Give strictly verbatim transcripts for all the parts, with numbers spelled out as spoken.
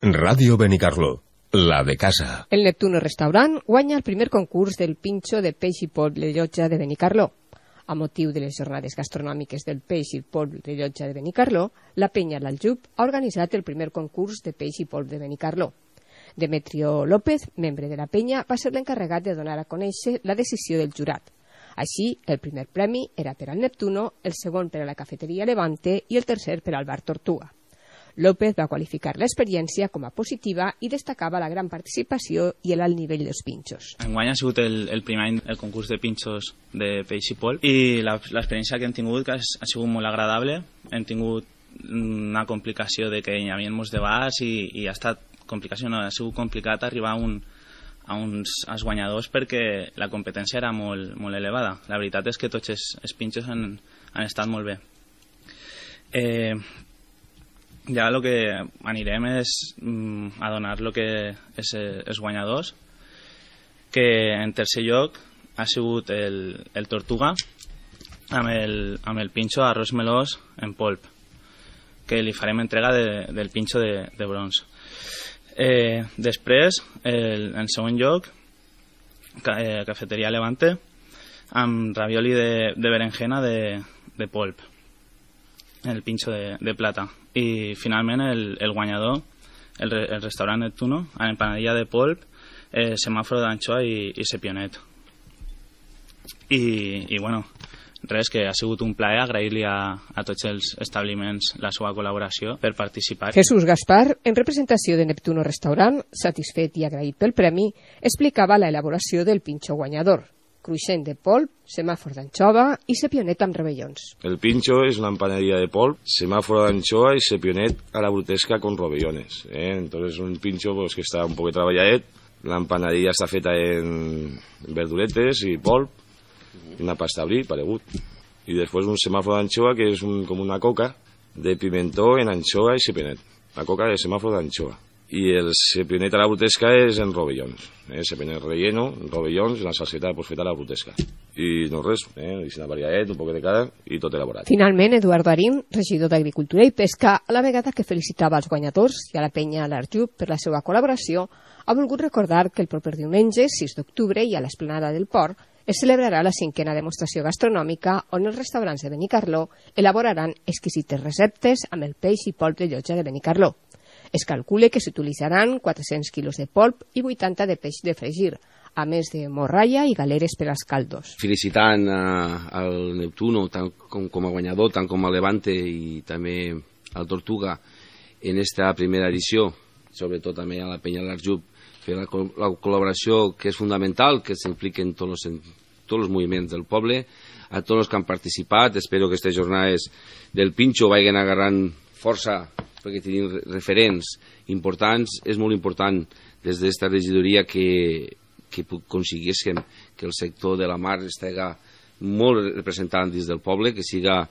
Ràdio Benicarló, la de casa. El Neptuno Restaurant guanya el primer concurs del pinxo de peix i polp de Llotja de Benicarló. A motiu de les jornades gastronòmiques del peix i polp de Llotja de Benicarló, la penya l'Aljub ha organitzat el primer concurs de peix i polp de Benicarló. Demetrio López, membre de la penya, va ser l'encarregat de donar a conèixer la decisió del jurat. Així, el primer premi era per al Neptuno, el segon per a la cafeteria Levante i el tercer per al bar Tortuga. López va qualificar l'experiència com a positiva i destacava la gran participació i l'alt nivell dels pinxos. Enguany ha sigut el, el primer any el concurs de pinxos de peix i polp i l'experiència que hem tingut que ha, ha sigut molt agradable. Hem tingut una complicació de que hi havia molts debats i, i ha estat complicació, no, ha sigut complicat arribar a, un, a uns als guanyadors perquè la competència era molt, molt elevada. La veritat és que tots els, els pinxos han, han estat molt bé. Eh, Ja el que anirem és mm, a donar el que és els guanyadors, que en tercer lloc ha sigut el, el Tortuga amb el, amb el pinxo arròs melós en polp, que li farem entrega de, del pinxo de, de bronze. Eh, després, el, en segon lloc, ca, eh, cafeteria Levante amb ravioli de, de berenjena de, de polp, el pinxo de, de plata. I finalment el, el guanyador, el, el restaurant Neptuno, amb empanadilla de polp, eh, semàforo d'anxoa i, i sepionet. I, i bueno, res, que ha sigut un plaer agrair-li a, a tots els establiments la seva col·laboració per participar. Jesús Gaspar, en representació de Neptuno Restaurant, satisfet i agraït pel premi, explicava la elaboració del pinxo guanyador. Cruixent de polp, semàfor d'anxova i sepionet amb rovellons. El pincho es una empanadilla de polp, semáforo de anchoa y sepionet a la brutesca con rovellons. ¿eh? Entonces un pincho pues, que está un poco treballadet, la empanadilla está feta en verduretes y polp, una pasta brie, paregut. Y después un semáforo de anchoa que es un, como una coca de pimentó en anchoa y sepionet. La coca de semáforo de anchoa. Y el sepionet a la brutesca es en rovellons, eh? sepionet relleno, rovellons i la salseta pues, feta a la brutesca. I no res, eh? una variadet, un poc de cada i tot elaborat. Finalment, Eduardo Arín, regidor d'Agricultura i Pesca, a la vegada que felicitava els guanyadors i a la penya l'Aljub per la seva col·laboració, ha volgut recordar que el proper diumenge, sis d'octubre, i a l'Esplanada del Port, es celebrarà la cinquena demostració gastronòmica on els restaurants de Benicarló elaboraran exquisites receptes amb el peix i polp de Llotja de Benicarló. Es calcula que s'utilitzaran quatre-cents quilos de polp i vuitanta de peix de fregir, a més de morralla i galeres per als caldos. Felicitant uh, al Neptuno tant com, com a guanyador, tant com a Levante i també al Tortuga en esta primera edició, sobretot també a la penya de l'Aljub, fer la, la col·laboració que és fundamental, que s'impliquen tots els, tots els moviments del poble, a tots els que han participat. Espero que aquestes jornades del pinxo vagin agarrant força perquè tenim referents importants. És molt important des d'esta regidoria que, que aconseguíssim que el sector de la mar estigui molt representant dins del poble, que siga,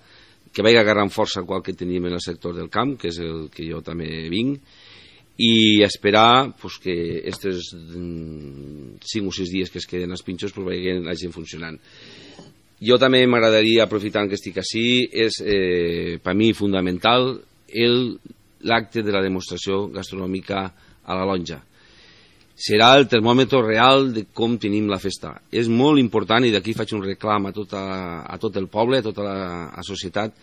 que vagi agarrant força qual que tenim en el sector del camp, que és el que jo també vinc, i esperar pues, que aquests cinc o sis dies que es queden als pinxos pues, vagin, vagin funcionant. Jo també m'agradaria, aprofitant que estic així, és eh, per mi fundamental el l'acte de la demostració gastronòmica a la Lonja. Serà el termòmetre real de com tenim la festa. És molt important, i d'aquí faig un reclam a, tota, a tot el poble, a tota la a societat,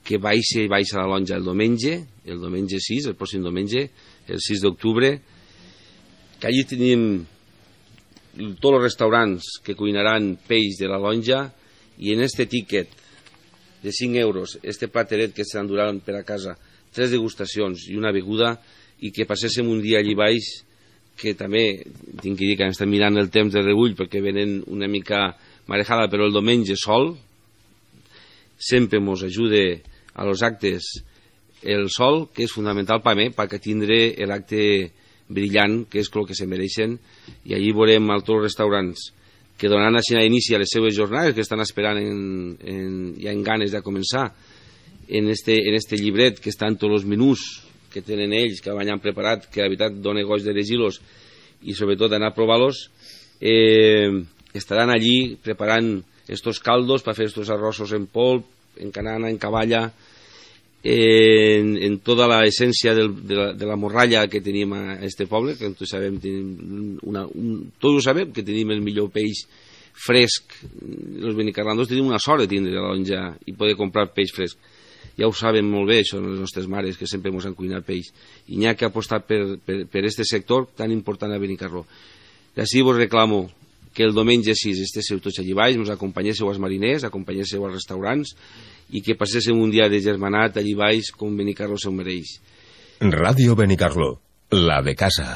que baixi, baixi a la Lonja el diumenge, el diumenge sis, el pròxim diumenge, el sis d'octubre, que allí tenim tots els restaurants que cuinaran peix de la Lonja, i en este tíquet de cinc euros, este plateret que s'enduran per a casa, tres degustacions i una beguda, i que passéssim un dia allí baix, que també tinc que dir que estem mirant el temps de rebull perquè venen una mica marejada, però el diumenge sol sempre ens ajuda a los actes el sol, que és fundamental per mi, perquè tindre l'acte brillant, que és el que se mereixen, i allí veurem a tots els restaurants que donaran així a inici a les seves jornades, que estan esperant en, en, ja en ganes de començar, en este, en este llibret que estan tots els menús que tenen ells, que han preparat, que la veritat dona goig de llegir-los i sobretot d'anar a provar-los, eh, estaran allí preparant estos caldos per fer estos arrossos en polp, en canana, en cavalla, en, en tota l'essència de, la, de la morralla que tenim a este poble, que tots sabem, tenim una, un, tots ho sabem, que tenim el millor peix fresc. Els benicarlandos tenim una sort de tindre la lonja i poder comprar peix fresc. Ja ho saben molt bé, són les nostres mares, que sempre ens han cuinat peix. I n'hi ha que apostar per, per, per este sector tan important a Benicarló. D'ací vos reclamo que el diumenge sis estéssiu tots allí baix, ens acompanyéssiu als mariners, acompanyéssiu als restaurants i que passéssiu un dia de germanat allí baix com Benicarló se'l mereix. Ràdio Benicarló, la de casa.